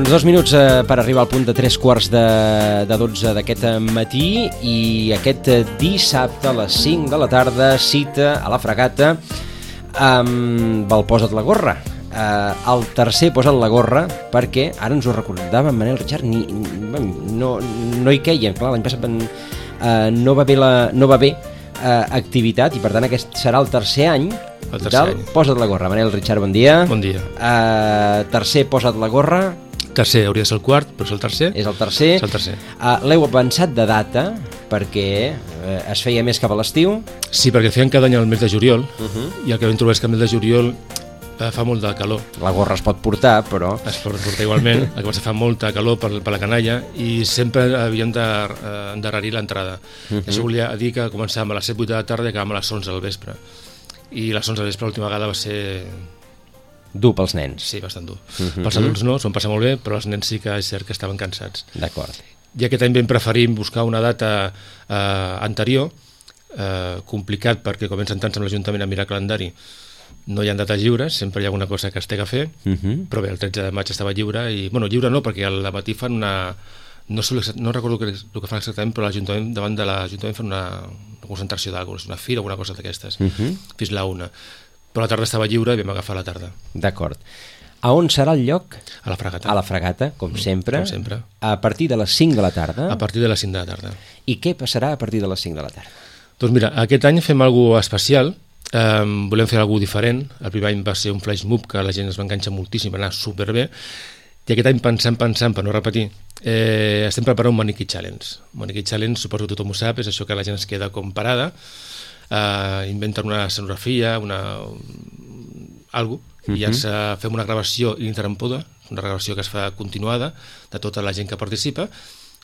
Doncs 2 minuts per arribar al punt de 3:15 d'aquest matí i aquest dissabte a les 5 de la tarda cita a la Fragata amb el Posa't la gorra. El tercer Posa't la gorra perquè ara ens ho recordava en Manel Richard, no hi queia, clar, l'any passat no va haver activitat i per tant aquest serà el tercer any del Posa't la gorra. Manel Richard, bon dia. Bon dia. Tercer Posa't la gorra. Tercer, hauria de ser el quart, però és el tercer. És el tercer. És el tercer. L'heu avançat de data perquè es feia més cap a l'estiu. Sí, perquè feien cada any al mes de juliol i el que vam trobar és que el mes de juliol fa molt de calor. La gorra es pot portar, però... Es pot portar igualment, el que passa fa molta calor per la canalla i sempre havíem d'endarrerir l'entrada. Això volia dir que començàvem a les 7-8 de la tarda i acabàvem a les 11 del vespre. I les 11 del vespre l'última vegada va ser... dur pels nens. Sí, bastant dur. Pels adults no, s'ho van passar molt bé, però els nens sí que és cert que estaven cansats. D'acord. I aquest any vam preferir buscar una data anterior, complicat perquè com ens sentant amb l'Ajuntament a mirar calendari, no hi ha dates lliures, sempre hi ha alguna cosa que es té a fer, però bé, el 13 de maig estava lliure, i bueno, lliure no, perquè al matí fan una... No recordo el que fan exactament, però l'Ajuntament, davant de l'Ajuntament fan una concentració d'alguna cosa, una fira o alguna cosa d'aquestes, fins la 1. Però la tarda estava lliure i vam agafar la tarda. D'acord. A on serà el lloc? A la Fragata. A la Fragata, com sempre. Com sempre. A partir de les 5 de la tarda. A partir de les 5 de la tarda. I què passarà a partir de les 5 de la tarda? Doncs mira, aquest any fem alguna cosa especial, volem fer alguna cosa diferent. El primer any va ser un flash mob que la gent es va enganxar moltíssim, va anar superbé, i aquest any pensant, per no repetir, estem preparant un maniquí challenge. Un maniquí challenge, suposo que tothom ho sap, és això que la gent es queda com parada, inventen una escenografia, algo, i ja fem una gravació ininterrompuda, una gravació que es fa continuada de tota la gent que participa,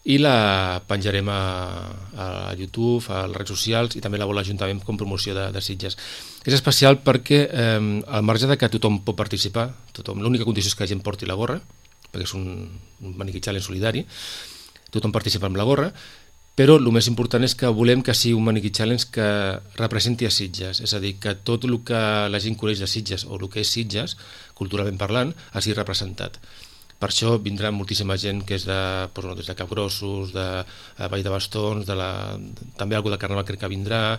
i la penjarem a YouTube, a les redes socials, i també la vol l'Ajuntament com promoció de Sitges. És especial perquè al marge de que tothom pot participar, l'única condició és que la gent porti la gorra, perquè és un maniquí challenge solidari, tothom participa amb la gorra, però el més important és que volem que sigui un maniquí challenge que representi a Sitges, és a dir, que tot el que la gent coneix de Sitges o el que és Sitges, culturalment parlant, hagi representat. Per això vindrà moltíssima gent que és des de Capgrossos, de Vall de Bastons, també algú de Carnaval crec que vindrà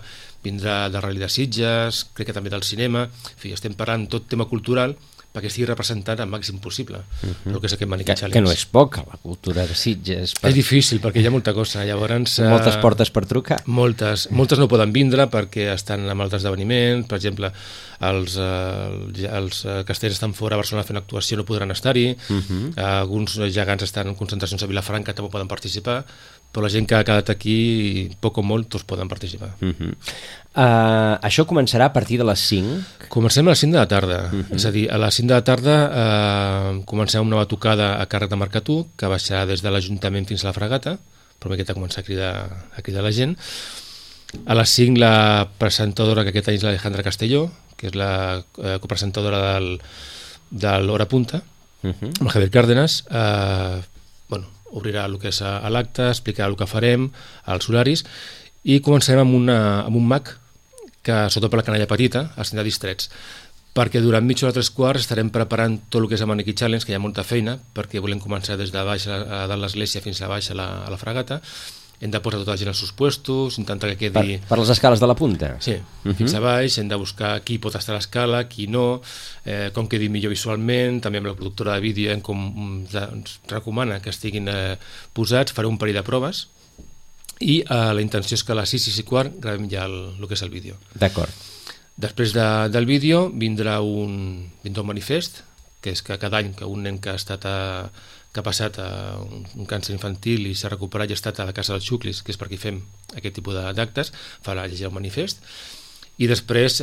de Rally de Sitges, crec que també del cinema, en fi, estem parlant tot tema cultural perquè estigui representat al màxim possible el que és aquest maniquí challenge. Que no és poc, la cultura de Sitges. És difícil, perquè hi ha molta cosa. Llavors, moltes portes per trucar. Moltes no poden vindre perquè estan amb altres esdeveniments. Per exemple, els castells estan fora a Barcelona fent actuació, no podran estar-hi. Alguns gegants estan en concentracions a Vilafranca, també poden participar, però la gent que ha quedat aquí, poc o molt, tots poden participar. Això començarà a partir de les 5? Comencem a les 5 de la tarda. És a dir, a les 5 de la tarda comencem una batucada a càrrec de Mercatú, que baixarà des de l'Ajuntament fins a la Fragata, però aquesta comença a cridar la gent. A les 5 la presentadora, que aquest any és l'Alejandra Castelló, que és la copresentadora de l'Hora Punta, amb el Javier Cárdenas, obrirà el que és l'acte, explicarà el que farem, els horaris, i començarem amb un mag que, sobretot per la canalla petita, els tindrà distrets, perquè durant mitja hora 3/4 estarem preparant tot el que és el maniquí challenge, que hi ha molta feina, perquè volem començar des de baix a dalt l'església fins a baix a la Fragata. Hem de posar tota la gent als seus puestos, intentar que quedi... Per les escales de la punta? Sí, fins a baix, hem de buscar qui pot estar a l'escala, qui no, com quedi millor visualment, també amb la productora de vídeo ens recomana que estiguin posats, faré un parell de proves, i la intenció és que a les 6 i quart gravem ja el que és el vídeo. D'acord. Després del vídeo vindrà un manifest, que és que cada any que un nen que ha passat un càncer infantil i s'ha recuperat i ha estat a la Casa dels Xuclis, que és per aquí fem aquest tipus d'actes, farà llegir el manifest, i després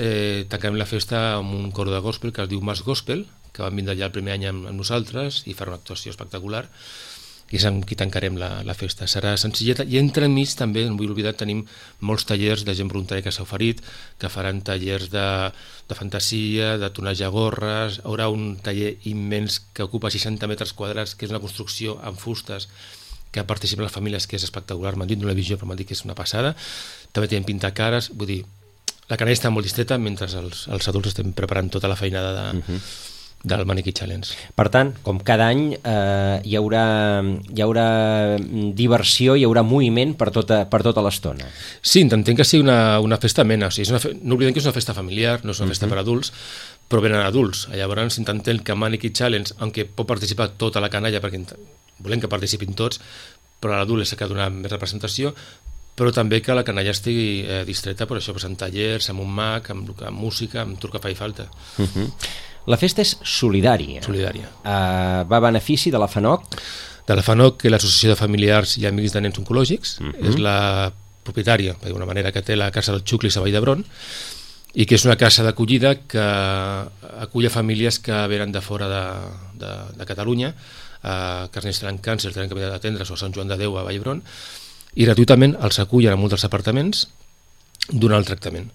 tancarem la festa amb un coro de gospel que es diu Mas Gospel, que van vindre ja el primer any amb nosaltres i farà una actuació espectacular, i és amb qui tancarem la festa. Serà senzilleta, i entremig també, no vull oblidar, tenim molts tallers de gent voluntària que s'ha oferit, que faran tallers de fantasia, de tonejar gorres, hi haurà un taller immens que ocupa 60 metres quadrats, que és una construcció amb fustes, que participen les famílies, que és espectacular, m'han dit d'una visió, però m'han dit que és una passada. També tenim pintar cares, vull dir, la canalla està molt distreta mentre els adults estem preparant tota la feinada del Mannequin Challenge. Per tant, com cada any hi haurà diversió, hi haurà moviment per tota l'estona. Sí, intentem que sigui una festa amena, o sigui, no oblidem que és una festa familiar, no és una festa per adults, però venen adults. Llavors intentem que Mannequin Challenge, aunque pot participar tota la canalla, perquè volem que participin tots, però a l'adult és que ha donat més representació, però també que la canalla estigui distreta per això, amb tallers, amb un mag, amb música, amb tot el que faci falta. La festa és solidària. Va a benefici de la FANOC? De la FANOC, que és l'Associació de Familiars i Amics de Nens Oncològics, és la propietària, d'alguna manera, que té la Casa del Xuclis a Vall d'Hebron, i que és una casa d'acollida que acull a famílies que venen de fora de Catalunya, que els nens tenen càncer, tenen que venir d'atendre's a Sant Joan de Déu a Vall d'Hebron, i gratuïtament els acullen a molts dels apartaments donant el tractament.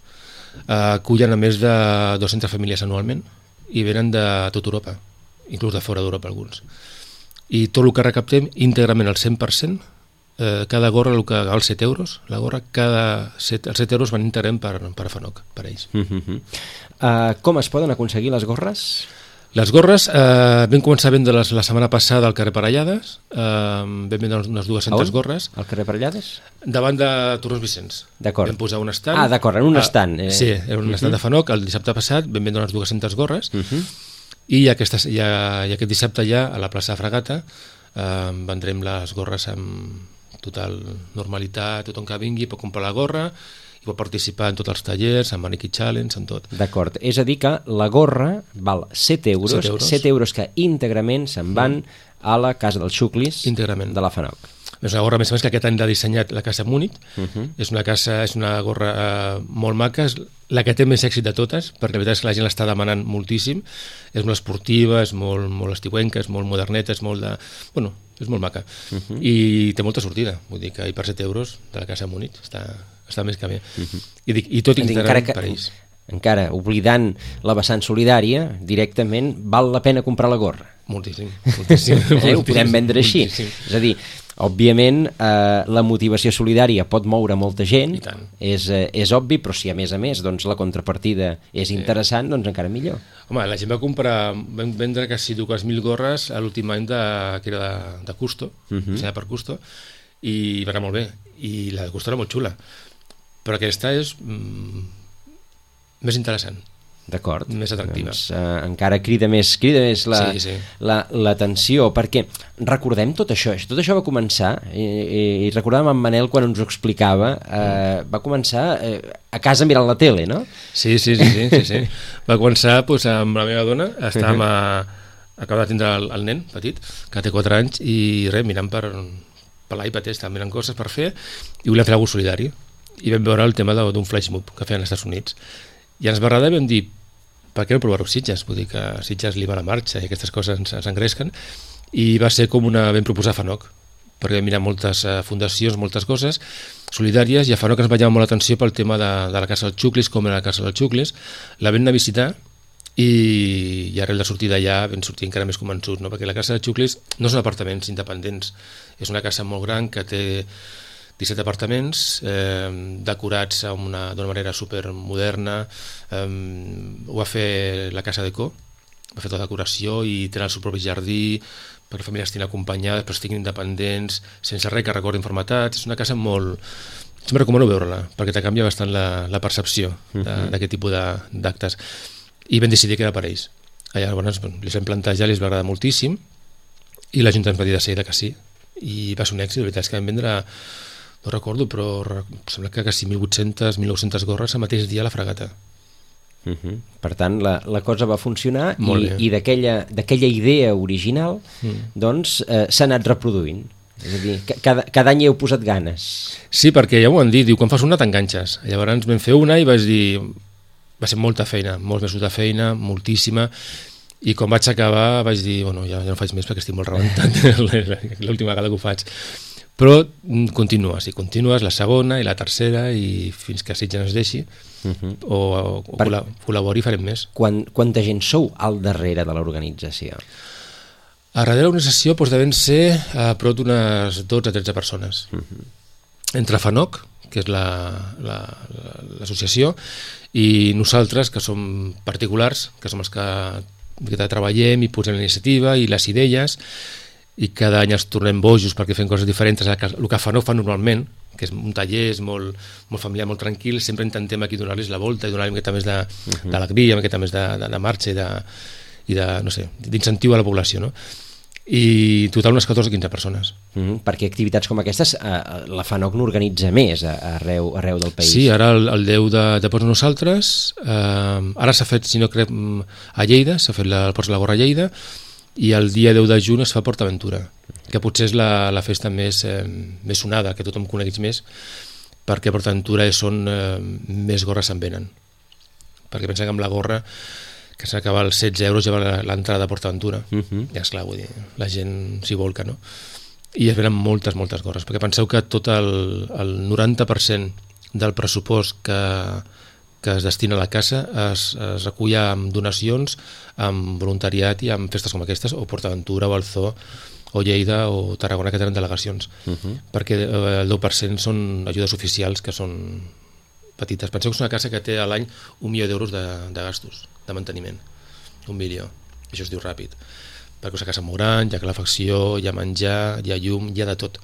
Acullen a més de 200 famílies anualment, i venen de tota Europa, inclús de fora d'Europa alguns. I tot el que recaptem íntegrament al 100%, cada gorra, el que val 7 euros, la gorra, els 7 euros van íntegrament per a FANOC, per a ells. Com es poden aconseguir les gorres? Les gorres vam començar a vendre la setmana passada al carrer Parellades, vam vendre unes 200 gorres. Al carrer Parellades? Davant de Torrons Vicenç. D'acord. Vam posar un estand. D'acord, en un estand. Sí, era un estand de FANOC. El dissabte passat vam vendre unes 200 gorres i aquest dissabte ja a la plaça de Fragata vendrem les gorres amb total normalitat, tothom que vingui pot comprar la gorra i pot participar en tots els tallers, en Mannequin Challenge, en tot. D'acord, és a dir que la gorra val 7 euros, 7 euros que íntegrament se'n van a la Casa dels Xuclis de la FANOC. És una gorra, més o menys, que aquest any l'ha dissenyat la Casa Múnich. És una gorra molt maca, és la que té més èxit de totes, perquè la veritat és que la gent l'està demanant moltíssim. És molt esportiva, és molt estiuenca, és molt moderneta, és molt maca. I té molta sortida, vull dir que per 7 euros de la Casa Múnich està més que bé. I tot íntegrament per ells. Encara, oblidant la vessant solidària, directament val la pena comprar la gorra. Moltíssim. Ho podem vendre així. És a dir, òbviament la motivació solidària pot moure molta gent, és obvi, però si a més la contrapartida és interessant, doncs encara millor. Home, la gent vam vendre quasi 2.000 gorres a l'últim any que era de Custo, dissenyada per Custo, i va anar molt bé, i la de Custo era molt xula, però aquesta és més interessant. D'acord. Més atractiva. Doncs, encara crida més l'atenció, perquè recordem tot això va començar, i recordàvem en Manel quan ens ho explicava, va començar a casa mirant la tele, no? Sí. Va començar amb la meva dona, acaba de tindre el nen petit, que té 4 anys, i mirant per l'iPad, estava mirant coses per fer, i volíem fer alguna cosa solidari, i vam veure el tema d'un flash mob que feien als Estats Units. I ens va agradar i vam dir, per què no provar-ho Sitges? Vull dir que Sitges li va a la marxa i aquestes coses ens engresquen, i va ser com vam proposar a FANOC, perquè vam mirar moltes fundacions, moltes coses solidàries, i a FANOC ens va llamar molt l'atenció pel tema de la Casa dels Xuclis, com era la Casa dels Xuclis. La vam anar a visitar i arrel de sortir d'allà vam sortir encara més convençuts, no? Perquè la Casa dels Xuclis no són apartaments independents, és una casa molt gran que té 17 apartaments, decorats d'una manera supermoderna. Ho va fer la Casa Deco, va fer tota la decoració i tenen el seu propi jardí perquè les famílies estiguin acompanyades, però estiguin independents, sense res que recordin formatats. És una casa molt... Sempre recomano veure-la, perquè te canvia bastant la percepció d'aquest tipus d'actes. I vam decidir que era per ells. Llavors les vam plantejar, els va agradar moltíssim, i la Junta ens va dir de seguida que sí, i va ser un èxit. La veritat és que vam vendre, no recordo, però sembla que quasi 1.800, 1.900 gorres el mateix dia a la Fragata. Per tant, la cosa va funcionar i d'aquella idea original doncs s'ha anat reproduint. És a dir, cada any hi heu posat ganes. Sí, perquè ja ho han dit, diu, quan fas una t'enganxes. Llavors vam fer una i vaig dir, va ser molta feina, molts mesos de feina, moltíssima, i quan vaig acabar vaig dir, bueno, ja no faig més perquè estic molt rebentat l'última vegada que ho faig. Però continues la segona i la tercera i fins que Sitges ens deixi o col·labori i farem més. Quanta gent sou al darrere de l'organització? A darrere de l'organització devem ser a prop d'unes 12 a 13 persones. Entre FANOC, que és l'associació, i nosaltres, que som particulars, que som els que treballem i posem la iniciativa i les idees, i cada any els tornem bojos perquè fem coses diferents. El que FANOC fa normalment, que és un taller, és molt familiar, molt tranquil, sempre intentem aquí donar-los la volta i donar-li una miqueta més d'alegria, una miqueta més de marxa i no sé, d'incentiu a la població, no? I total unes 14 o 15 persones. Perquè activitats com aquestes la FANOC n'organitza més arreu del país. Sí, ara el 10 de Pots Nosaltres, ara s'ha fet, si no crec, a Lleida, s'ha fet el Pots la Gorra a Lleida, i el dia 10 de juny es fa PortAventura, que potser és la festa més sonada, que tothom coneguis més, perquè a PortAventura són més gorres se'n venen. Perquè pensa que amb la gorra, que s'acaba als 16 euros, ja l'entrada a PortAventura. I esclar, vull dir, la gent s'hi volca, no? I es venen moltes gorres, perquè penseu que tot el 90% del pressupost que es destina a la casa es recull amb donacions, amb voluntariat i amb festes com aquestes, o PortAventura, o el Zoo, o Lleida, o Tarragona, que tenen delegacions. Perquè el 10% són ajudes oficials, que són petites. Penseu que és una casa que té a l'any 1 milió d'euros de gastos, de manteniment. 1 milió. Això es diu ràpid. Perquè és una casa molt gran, hi ha calefacció, hi ha menjar, hi ha llum, hi ha de tot.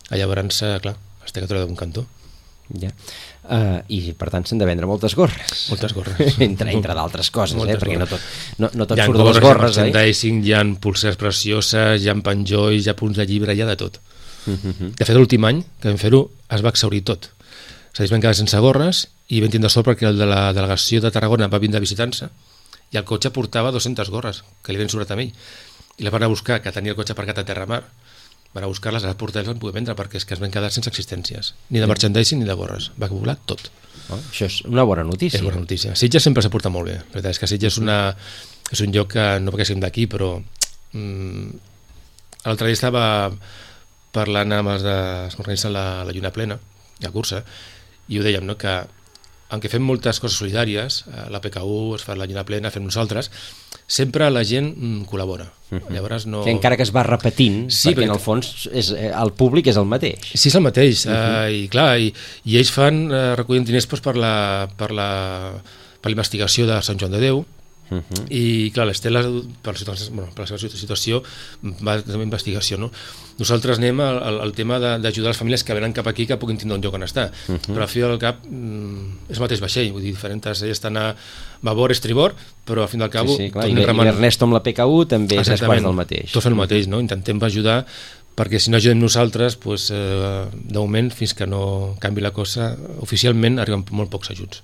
Llavors, clar, es té que treure d'un cantó. Ja. I per tant s'han de vendre moltes gorres. Moltes gorres. entre d'altres coses, perquè no tot hi surt de les gorres. Hi ha pulseres precioses, hi ha penjolls, hi ha punts de llibre, hi ha de tot. De fet, l'últim any que vam fer-ho es va exhaurir tot. És a dir, es van quedar sense gorres i vam tindre sort perquè el de la delegació de Tarragona va vindre a visitar-se i el cotxe portava 200 gorres que li havien sobrat a ell, i les van a buscar, que tenia el cotxe aparcat a Terramar, van a buscar-les, a les portar i les van poder vendre, perquè és que es van quedar sense existències, ni de merchandising ni de gorres, va volar tot. Això és una bona notícia. És bona notícia. Sitges sempre s'ha portat molt bé. La veritat és que Sitges és un lloc que, no perquè siguem d'aquí, però l'altre dia estava parlant amb els que organitzen la Lluna Plena, la cursa, i ho dèiem, no? Que aunque fem moltes coses solidàries, la PKU, es fa la Lluna Plena, fem nosaltres, sempre la gent col·labora. Llavors no... Que encara que es va repetint, perquè en el fons el públic és el mateix. Sí, és el mateix, i clar, i ells recullen diners per la investigació de Sant Joan de Déu, i clar, l'Estela per la seva situació va de investigació, no? Nosaltres anem al tema d'ajudar les famílies que venen cap aquí, que puguin tindre un lloc on estar, però al fi del cap és el mateix vaixell, vull dir, diferents estan a babor, estribor, però al fin del cap i l'Ernesto amb la PKU també és quasi el mateix. Tots fem el mateix, no? Intentem ajudar, perquè si no ajudem nosaltres, de moment, fins que no canvi la cosa, oficialment arriben molt pocs ajuts.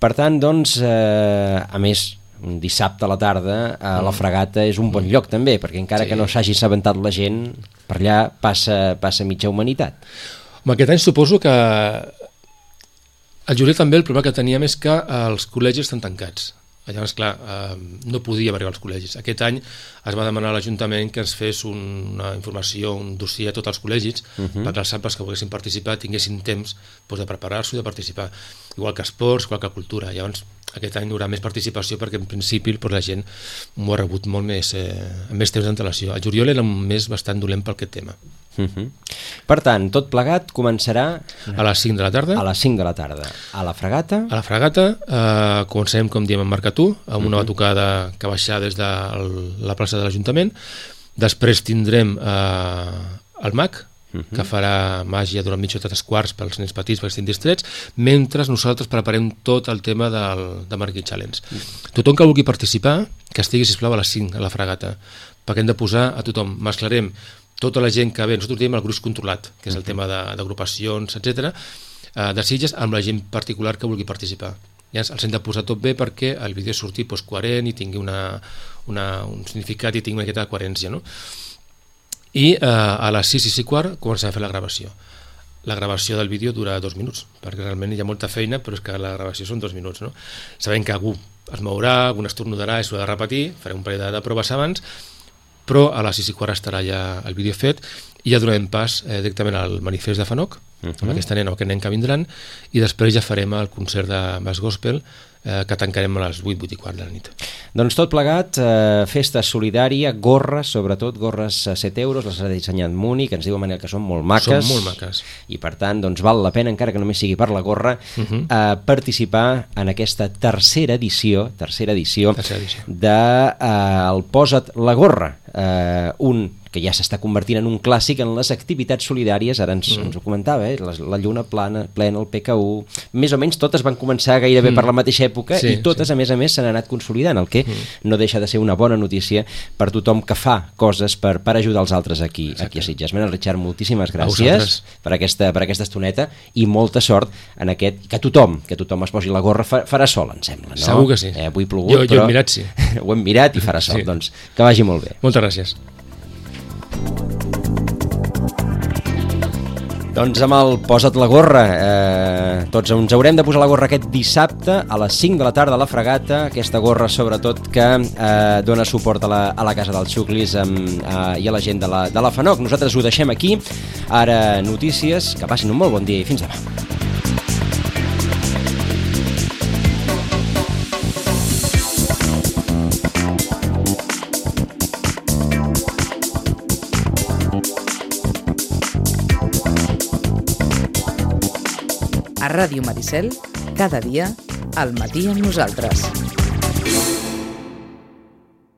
Per tant, doncs, a més, un dissabte a la tarda a la Fragata és un bon lloc també, perquè encara que no s'hagi assabentat la gent, per allà passa mitja humanitat. Aquest any suposo que el juliol també el problema que teníem és que els col·legis estan tancats. Llavors, clar, no podíem arribar als col·legis. Aquest any es va demanar a l'Ajuntament que ens fes una informació, un dossier a tots els col·legis, perquè els AMPAs que volguessin participar tinguessin temps de preparar-s'ho i de participar. Igual que esports, igual que cultura. Llavors, aquest any hi haurà més participació perquè en principi la gent m'ho ha rebut molt més, amb més temps d'antelació. El juliol era un mes bastant dolent per aquest tema. Per tant, tot plegat començarà a les 5 de la tarda. A les 5 de la tarda. A la Fragata? A la Fragata, comencem, com diem, amb Marcatú, amb una batucada que baixarà des de la plaça de l'Ajuntament. Després tindrem el MAC, que farà màgia durant mitja hora, 3 quarts pels nens petits perquè estiguin distrets, mentre nosaltres preparem tot el tema de Marquee Challenge. Tothom que vulgui participar, que estigui, sisplau, a les 5 a la Fragata, perquè hem de posar a tothom. Mesclarem tota la gent que ve, nosaltres diem el gruix controlat, que és el tema d'agrupacions, etc., de Sitges, amb la gent particular que vulgui participar. Ja els hem de posar tot bé perquè el vídeo surti coherent i tingui un significat i tingui una miqueta de coherència, no? I a les 6 i 6:15 començarà a fer la gravació. La gravació del vídeo dura 2 minuts, perquè realment hi ha molta feina, però és que la gravació són 2 minuts, no? Sabem que algú es mourà, algú estornudarà i s'ho ha de repetir, farem un parell de proves abans, però a les 6 i 15 estarà ja el vídeo fet i ja donarem pas directament al manifest de FANOC, amb aquesta nena o aquest nen que vindran, i després ja farem el concert de Bass Gospel que tancarem a les 8 i quart de la nit. Doncs tot plegat, festa solidària, gorres, sobretot gorres a 7 euros, les ha dissenyat Muni, que ens diu Manel que són molt maques. Són molt maques. I per tant, doncs val la pena, encara que només sigui per la gorra, participar en aquesta tercera edició de el Posa't la gorra, que ja s'està convertint en un clàssic en les activitats solidàries, ara ens ho comentava, la Lluna plena, el PK1, més o menys totes van començar gairebé per la mateixa època i totes, a més, s'han anat consolidant, el que no deixa de ser una bona notícia per tothom que fa coses per ajudar els altres aquí a Sitges. Manel Richard, moltíssimes gràcies per aquesta estoneta i molta sort en aquest, que tothom es posi la gorra, farà sol, em sembla, no? Segur que sí. Avui plogut, jo he mirat, sí. Ho hem mirat i farà sol, doncs que vagi molt bé. Moltes gràcies. Doncs amb el Posa't la gorra, tots ens haurem de posar la gorra aquest dissabte a les 5 de la tarda a la Fragata, aquesta gorra sobretot que dona suport a la Casa dels Xuclis i a la gent de la FANOC. Nosaltres ho deixem aquí, ara notícies, que passin un molt bon dia i fins demà. A Ràdio Maricel, cada dia, al matí amb nosaltres.